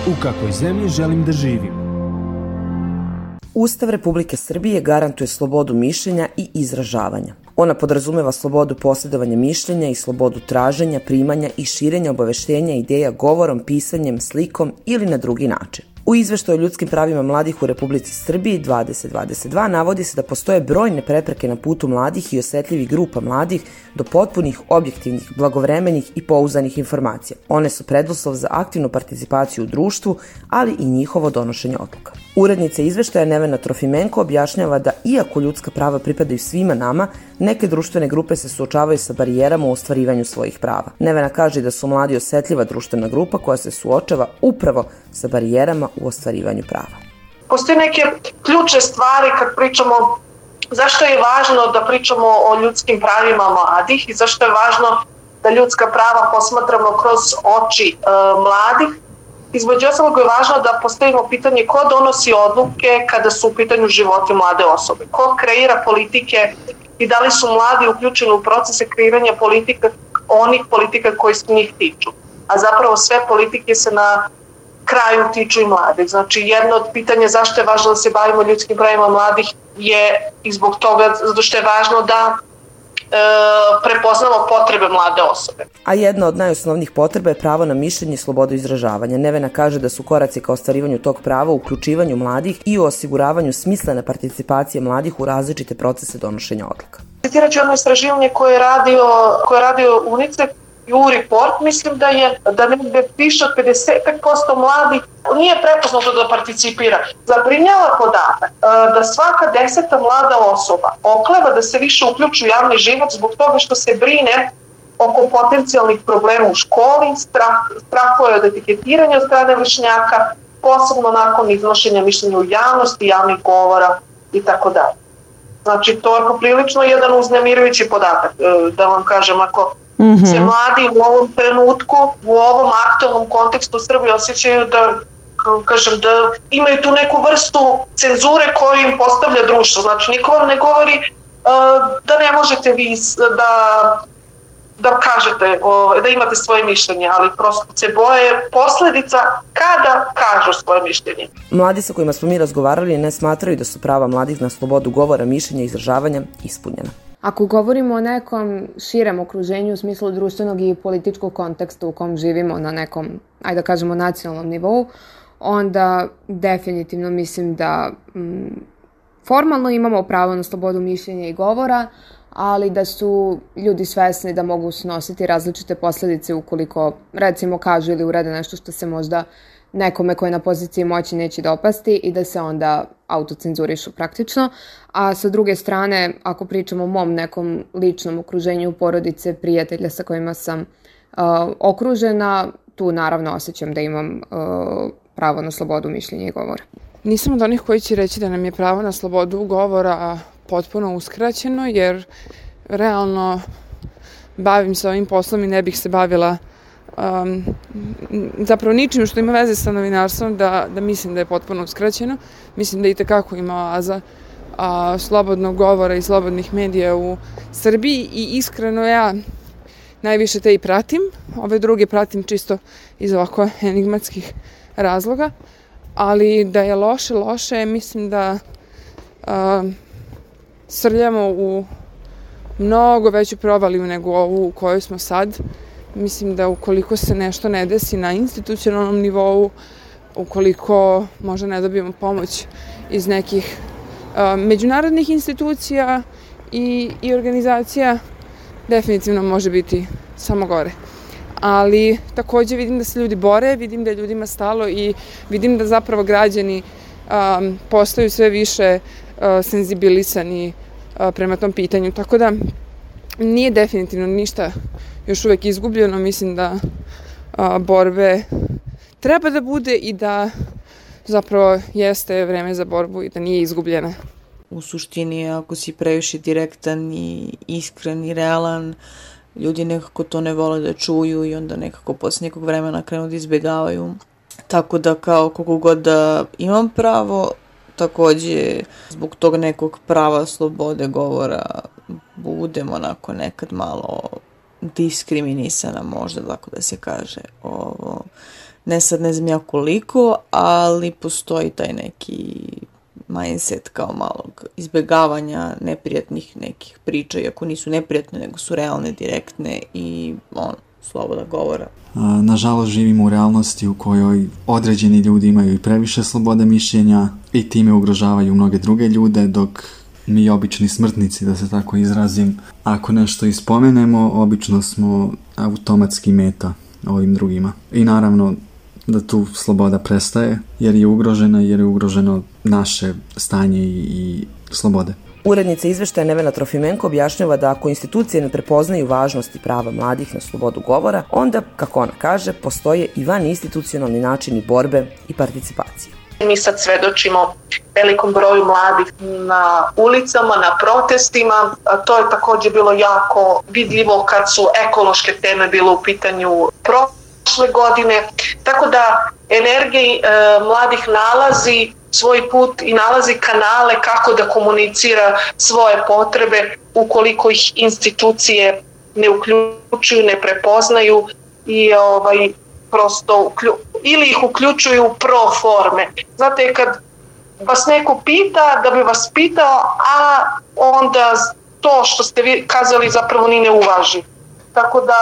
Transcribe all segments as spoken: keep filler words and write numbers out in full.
U kakvoj zemlji želim da živim? Ustav Republike Srbije garantuje slobodu mišljenja i izražavanja. Ona podrazumeva slobodu posjedovanja mišljenja i slobodu traženja, primanja i širenja obaveštenja ideja govorom, pisanjem, slikom ili na drugi način. U izveštaju o ljudskim pravima mladih u Republici Srbiji dvadeset dvadeset dva navodi se da postoje brojne prepreke na putu mladih i osetljivih grupa mladih do potpunih, objektivnih, blagovremenih i pouzdanih informacija. One su preduslov za aktivnu participaciju u društvu, ali i njihovo donošenje odluka. Urednica izveštaja Nevena Trofimenko objašnjava da iako ljudska prava pripadaju svima nama, neke društvene grupe se suočavaju sa barijerama u ostvarivanju svojih prava. Nevena kaže da su mladi osetljiva društvena grupa koja se suočava upravo sa barijerama u ostvarivanju prava. Postoje neke ključne stvari kad pričamo zašto je važno da pričamo o ljudskim pravima mladih i zašto je važno da ljudska prava posmatramo kroz oči e, mladih. Između ostalog je važno da postavimo pitanje ko donosi odluke kada su u pitanju životi mlade osobe, ko kreira politike i da li su mladi uključeni u procese kreiranja politika, onih politika koji se njih tiču. A zapravo sve politike se na kraju tiču i mladih. Znači jedno od pitanja zašto je važno da se bavimo ljudskim pravima mladih je i zbog toga zato što je važno da e, prepoznamo potrebe mlade osobe. A jedna od najosnovnijih potreba je pravo na mišljenje i slobodu izražavanja. Nevena kaže da su koraci ka ostvarivanju tog prava u uključivanju mladih i u osiguravanju smislene participacije mladih u različite procese donošenja odluka. Citirat ću jedno istraživanje koje je radio, koje je radio UNICEF u report, mislim da je da negde više od pedeset posto mladih nije prepoznato da participira. Zabrinjava podatak da svaka deseta mlada osoba okleva da se više uključi u javni život zbog toga što se brine oko potencijalnih problema u školi, strah, strahuje od etiketiranja od strane vršnjaka, posebno nakon iznošenja mišljenja u javnosti, javnih govora i tako dalje. Znači, to je poprilično jedan uznemirujući podatak, da vam kažem, ako Mm-hmm. se mladi u ovom trenutku, u ovom aktualnom kontekstu Srbije osjećaju da, kažem, da imaju tu neku vrstu cenzure koju im postavlja društvo. Znači, niko vam ne govori uh, da ne možete vi da, da kažete, uh, da imate svoje mišljenje, ali prosto se boje posledica kada kažu svoje mišljenje. Mladi sa kojima smo mi razgovarali ne smatraju da su prava mladih na slobodu govora, mišljenja i izražavanja ispunjena. Ako govorimo o nekom širem okruženju u smislu društvenog i političkog konteksta u kom živimo na nekom, ajde da kažemo, nacionalnom nivou, onda definitivno mislim da mm, formalno imamo pravo na slobodu mišljenja i govora, ali da su ljudi svesni da mogu snositi različite posledice ukoliko, recimo, kažu ili urade nešto što se možda nekome ko je na poziciji moći neće dopasti i da se onda autocenzurišu praktično. A sa druge strane, ako pričamo o mom nekom ličnom okruženju, porodice, prijatelja sa kojima sam uh, okružena, tu naravno osjećam da imam uh, pravo na slobodu mišljenja i govora. Nisam od onih koji će reći da nam je pravo na slobodu govora potpuno uskraćeno, jer realno bavim se ovim poslom i ne bih se bavila Um, zapravo ničim što ima veze sa novinarstvom da, da mislim da je potpuno uskraćeno. Mislim da i tekako ima oaza a, slobodnog govora i slobodnih medija u Srbiji i iskreno ja najviše te i pratim. Ove druge pratim čisto iz ovako enigmatskih razloga, ali da je loše, loše, mislim da a, srljamo u mnogo veću provaliju nego ovu u kojoj smo sad. Mislim da ukoliko se nešto ne desi na institucionalnom nivou, ukoliko možda ne dobijemo pomoć iz nekih uh, međunarodnih institucija i, i organizacija, definitivno može biti samo gore. Ali takođe vidim da se ljudi bore, vidim da je ljudima stalo i vidim da zapravo građani um, postaju sve više uh, senzibilisani uh, prema tom pitanju. Tako da nije definitivno ništa još uvek izgubljeno. Mislim da a, borbe treba da bude i da zapravo jeste vreme za borbu i da nije izgubljena. u suštini ako si previše direktan i iskren i realan, ljudi nekako to ne vole da čuju i onda nekako posle nekog vremena krenu da izbjegavaju. Tako da kao koliko god da imam pravo, takođe zbog tog nekog prava slobode govora budem onako nekad malo diskriminisana, možda tako da se kaže. Ovo, ne sad ne znam ja koliko, ali postoji taj neki mindset kao malog izbjegavanja neprijatnih nekih priča, iako nisu neprijatne, nego su realne, direktne i on, sloboda govora. Nažalost, živimo u realnosti u kojoj određeni ljudi imaju i previše slobode mišljenja i time ugrožavaju mnoge druge ljude, dok mi obični smrtnici, da se tako izrazim, ako nešto ispomenemo, obično smo automatski meta ovim drugima. I naravno da tu sloboda prestaje jer je ugrožena, jer je ugroženo naše stanje i, i slobode. Urednica izveštaja Nevena Trofimenko objašnjava da ako institucije ne prepoznaju važnosti prava mladih na slobodu govora, onda, kako ona kaže, postoje i van institucionalni načini borbe i participacije. Mi sad svedočimo velikom broju mladih na ulicama, na protestima. To je također bilo jako vidljivo kad su ekološke teme bilo u pitanju prošle godine. Tako da energija e, mladih nalazi svoj put i nalazi kanale kako da komunicira svoje potrebe ukoliko ih institucije ne uključuju, ne prepoznaju i ovaj, prosto uklju, ili ih uključuju pro forme. Znate, kad vas neko pita da bi vas pitao, a onda to što ste vi kazali zapravo ni ne uvaži. Tako da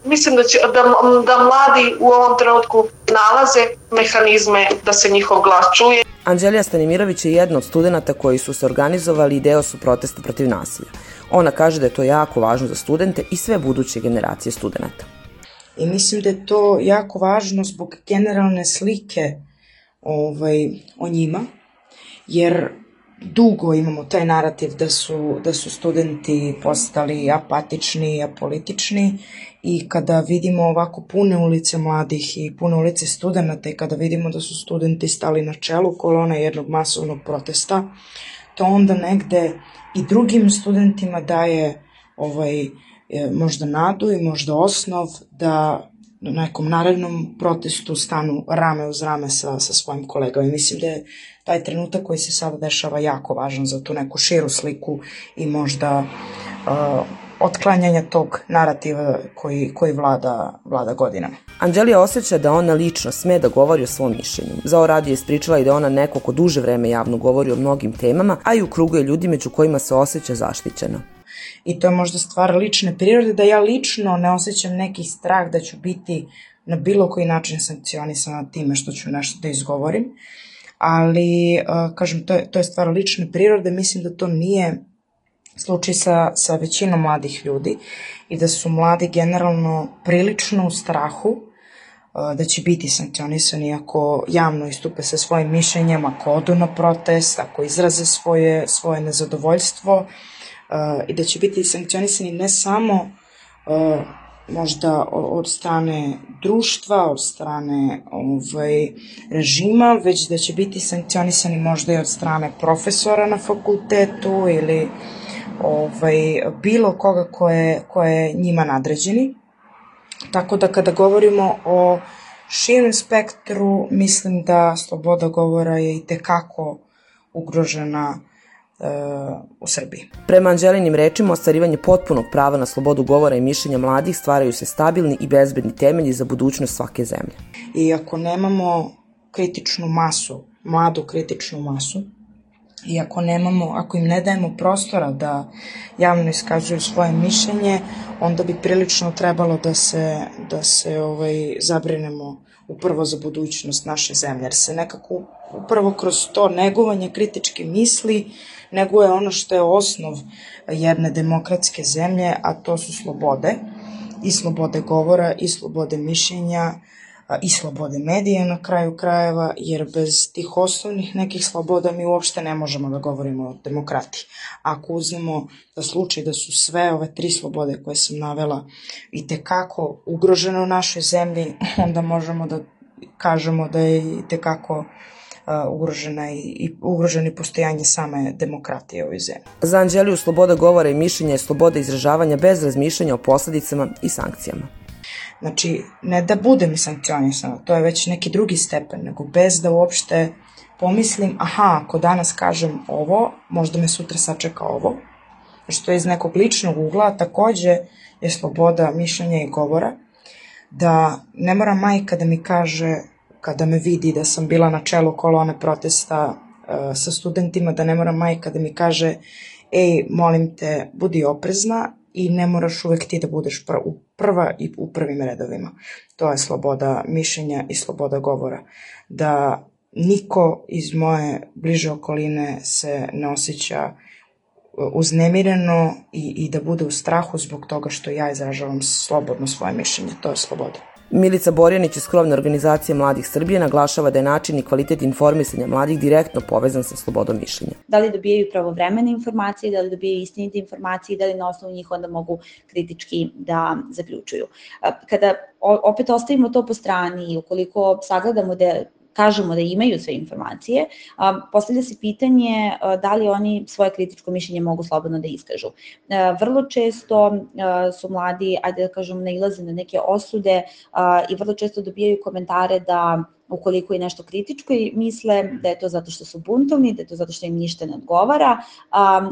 mislim da, će, da, da mladi u ovom trenutku nalaze mehanizme da se njihov glas čuje. Anđelija Stanimirović je jedna od studenta koji su se organizovali i deo su protesta protiv nasilja. Ona kaže da je to jako važno za studente i sve buduće generacije studenta. I mislim da je to jako važno zbog generalne slike ovaj, o njima, jer dugo imamo taj narativ da su, da su studenti postali apatični, apolitični i kada vidimo ovako pune ulice mladih i pune ulice studenta i kada vidimo da su studenti stali na čelu kolone jednog masovnog protesta, to onda negde i drugim studentima daje ovaj, možda nadu i možda osnov da na nekom narednom protestu stanu rame uz rame sa, sa svojim kolegama. I mislim da je taj trenutak koji se sada dešava jako važan za tu neku širu sliku i možda uh, otklanjanja tog narativa koji, koji vlada, vlada godinama. Anđelija osjeća da ona lično sme da govori o svom mišljenju. Za ovo radio je ispričala i da ona neko ko duže vreme javno govori o mnogim temama, a i u krugu je ljudi među kojima se osjeća zaštićena. I to je možda stvar lične prirode, da ja lično ne osjećam neki strah da ću biti na bilo koji način sankcionisana time što ću nešto da izgovorim. Ali, kažem, to je, to je stvar lične prirode, mislim da to nije slučaj sa, sa većinom mladih ljudi i da su mladi generalno prilično u strahu da će biti sankcionisani ako javno istupe sa svojim mišljenjem, ako odu na protest, ako izraze svoje, svoje nezadovoljstvo i da će biti sankcionisani ne samo možda od strane društva, od strane ovaj, režima, već da će biti sankcionisani možda i od strane profesora na fakultetu ili ovaj, bilo koga ko je, ko je njima nadređeni. Tako da kada govorimo o širem spektru, mislim da sloboda govora je i tekako ugrožena u Srbiji. Prema Anđelinim rečima, ostvarivanje potpunog prava na slobodu govora i mišljenja mladih stvaraju se stabilni i bezbedni temelji za budućnost svake zemlje. I ako nemamo kritičnu masu, mladu kritičnu masu, i ako nemamo, ako im ne dajemo prostora da javno iskazuju svoje mišljenje, onda bi prilično trebalo da se, da se ovaj, zabrinemo upravo za budućnost naše zemlje, jer se nekako upravo kroz to negovanje kritičke misli neguje ono što je osnov jedne demokratske zemlje, a to su slobode, i slobode govora, i slobode mišljenja, i slobode medija na kraju krajeva, jer bez tih osnovnih nekih sloboda mi uopšte ne možemo da govorimo o demokratiji. Ako uzmemo da slučaj da su sve ove tri slobode koje sam navela i tekako ugrožene u našoj zemlji, onda možemo da kažemo da je i tekako ugrožena i, i ugroženi postojanje same demokratije u ovoj zemlji. Za Anđeliju sloboda govora i mišljenja je sloboda izražavanja bez razmišljanja o posledicama i sankcijama. Znači, ne da budem sankcionisana, to je već neki drugi stepen, nego bez da uopšte pomislim, aha, ako danas kažem ovo, možda me sutra sačeka ovo, što je iz nekog ličnog ugla, takođe je sloboda mišljenja i govora, da ne mora majka da mi kaže, kada me vidi da sam bila na čelu kolone protesta uh, sa studentima, da ne mora majka da mi kaže, ej, molim te, budi oprezna i ne moraš uvek ti da budeš prva i u prvim redovima. To je sloboda mišljenja i sloboda govora. Da niko iz moje bliže okoline se ne osjeća uznemireno i, i da bude u strahu zbog toga što ja izražavam slobodno svoje mišljenje. To je sloboda. Milica Borjanić iz krovne organizacije Mladih Srbije naglašava da je način i kvalitet informisanja mladih direktno povezan sa slobodom mišljenja. Da li dobijaju pravovremene informacije, da li dobijaju istinite informacije i da li na osnovu njih onda mogu kritički da zaključuju. Kada opet ostavimo to po strani i ukoliko sagledamo da kažemo da imaju sve informacije, postavlja se pitanje da li oni svoje kritičko mišljenje mogu slobodno da iskažu. Vrlo često su mladi, ajde da kažem, nailaze na neke osude i vrlo često dobijaju komentare da ukoliko je nešto kritičko i misle da je to zato što su buntovni, da je to zato što im ništa ne odgovara,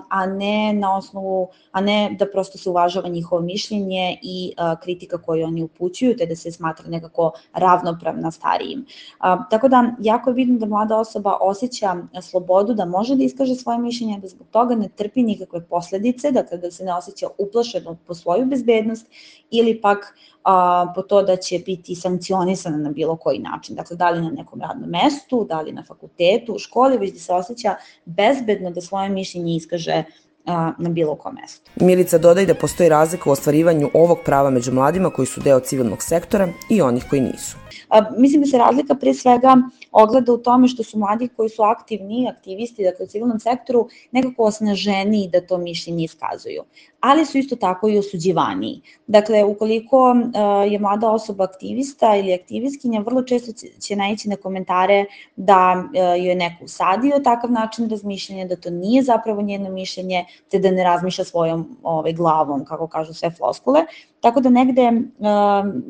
a ne na osnovu, a ne da prosto se uvažava njihovo mišljenje i kritika koju oni upućuju, te da se smatra nekako ravnopravna starijim. Tako da, jako je bitno da mlada osoba osjeća slobodu, da može da iskaže svoje mišljenje, da zbog toga ne trpi nikakve posledice, dakle da se ne osjeća uplašeno po svoju bezbednost ili pak a, po to da će biti sankcionisana na bilo koji način. Dakle, da li na nekom radnom mestu, da li na fakultetu, u školi, već da se osjeća bezbedno da svoje mišljenje iskaže a, na bilo kom mestu. Milica dodaje da postoji razlika u ostvarivanju ovog prava među mladima koji su deo civilnog sektora i onih koji nisu. A, mislim da se razlika pre svega ogleda u tome što su mladi koji su aktivni, aktivisti, dakle u civilnom sektoru, nekako osnaženiji da to mišljenje iskazuju, ali su isto tako i osuđivaniji. Dakle, ukoliko uh, je mlada osoba aktivista ili aktivistkinja, vrlo često će naići na komentare da uh, joj je neko usadio takav način razmišljanja, da to nije zapravo njeno mišljenje, te da ne razmišlja svojom ovaj, glavom, kako kažu sve floskule. Tako da negde uh,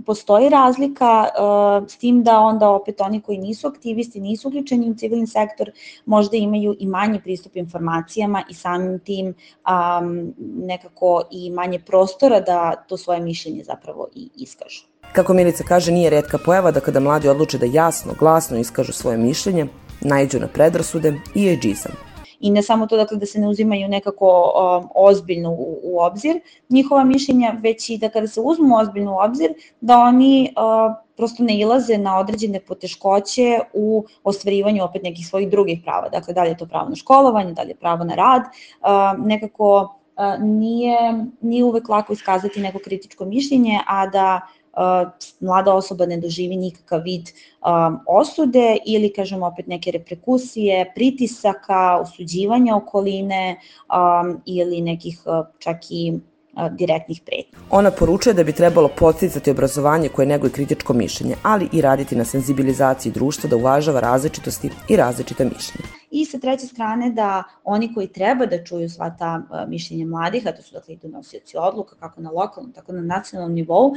postoji razlika uh, s tim da onda opet oni koji nisu aktivisti, nisu uključeni u civilni sektor, možda imaju i manji pristup informacijama i samim tim um, nekako i manje prostora da to svoje mišljenje zapravo i iskažu. Kako Milica kaže, nije retka pojava da kada mladi odluče da jasno, glasno iskažu svoje mišljenje, naiđu na predrasude i ejdžizam. I ne samo to dakle, da se ne uzimaju nekako um, ozbiljno u, u obzir njihova mišljenja, već i da kada se uzmu ozbiljno u obzir, da oni uh, prosto ne ilaze na određene poteškoće u ostvarivanju opet nekih svojih drugih prava. Dakle, da li je to pravo na školovanje, da li je pravo na rad, uh, nekako uh, nije, nije uvek lako iskazati neko kritičko mišljenje, a da Uh, mlada osoba ne doživi nikakav vid um, osude ili, kažemo, opet neke reperkusije, pritisaka, osuđivanja okoline um, ili nekih uh, čak i uh, direktnih pretnji. Ona poručuje da bi trebalo podsticati obrazovanje koje neguje kritičko mišljenje, ali i raditi na senzibilizaciji društva da uvažava različitosti i različita mišljenja. I sa treće strane da oni koji treba da čuju sva ta uh, mišljenja mladih, a to su dakle i donosioci odluka kako na lokalnom, tako na nacionalnom nivou, uh,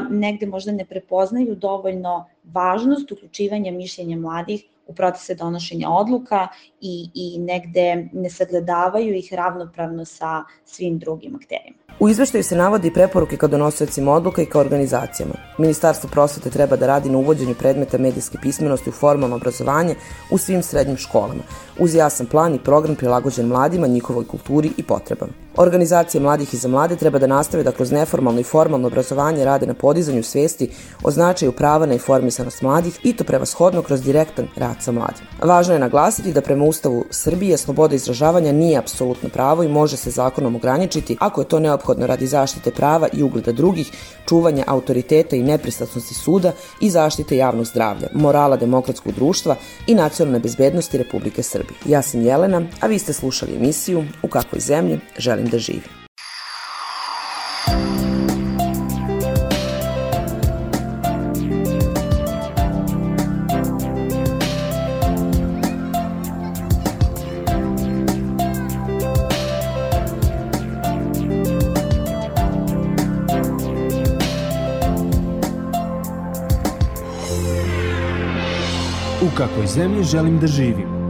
negde možda ne prepoznaju dovoljno važnost uključivanja mišljenja mladih u procese donošenja odluka i, i negde ne sagledavaju ih ravnopravno sa svim drugim akterima. U izveštaju se navodi i preporuke kao donosiocima odluka i kao organizacijama. Ministarstvo prosvete treba da radi na uvođenju predmeta medijske pismenosti u formalno obrazovanje u svim srednjim školama, uz jasan plan i program prilagođen mladima, njihovoj kulturi i potrebama. Organizacije mladih i za mlade treba da nastave da kroz neformalno i formalno obrazovanje rade na podizanju svesti o značaju prava na informisanost mladih i to prevashodno kroz direktan rad sa mladim. Važno je naglasiti da prema Ustavu Srbije sloboda izražavanja nije apsolutno pravo i može se zakonom ograničiti ako je to neophodno radi zaštite prava i ugleda drugih, čuvanja autoriteta i nepristrasnosti suda i zaštite javnog zdravlja, morala demokratskog društva i nacionalne bezbednosti Republike Srbije. Ja sam Jelena, a vi ste slušali emisiju U kakvoj zemlji želim da živim. U kakvoj zemlji želim da živim?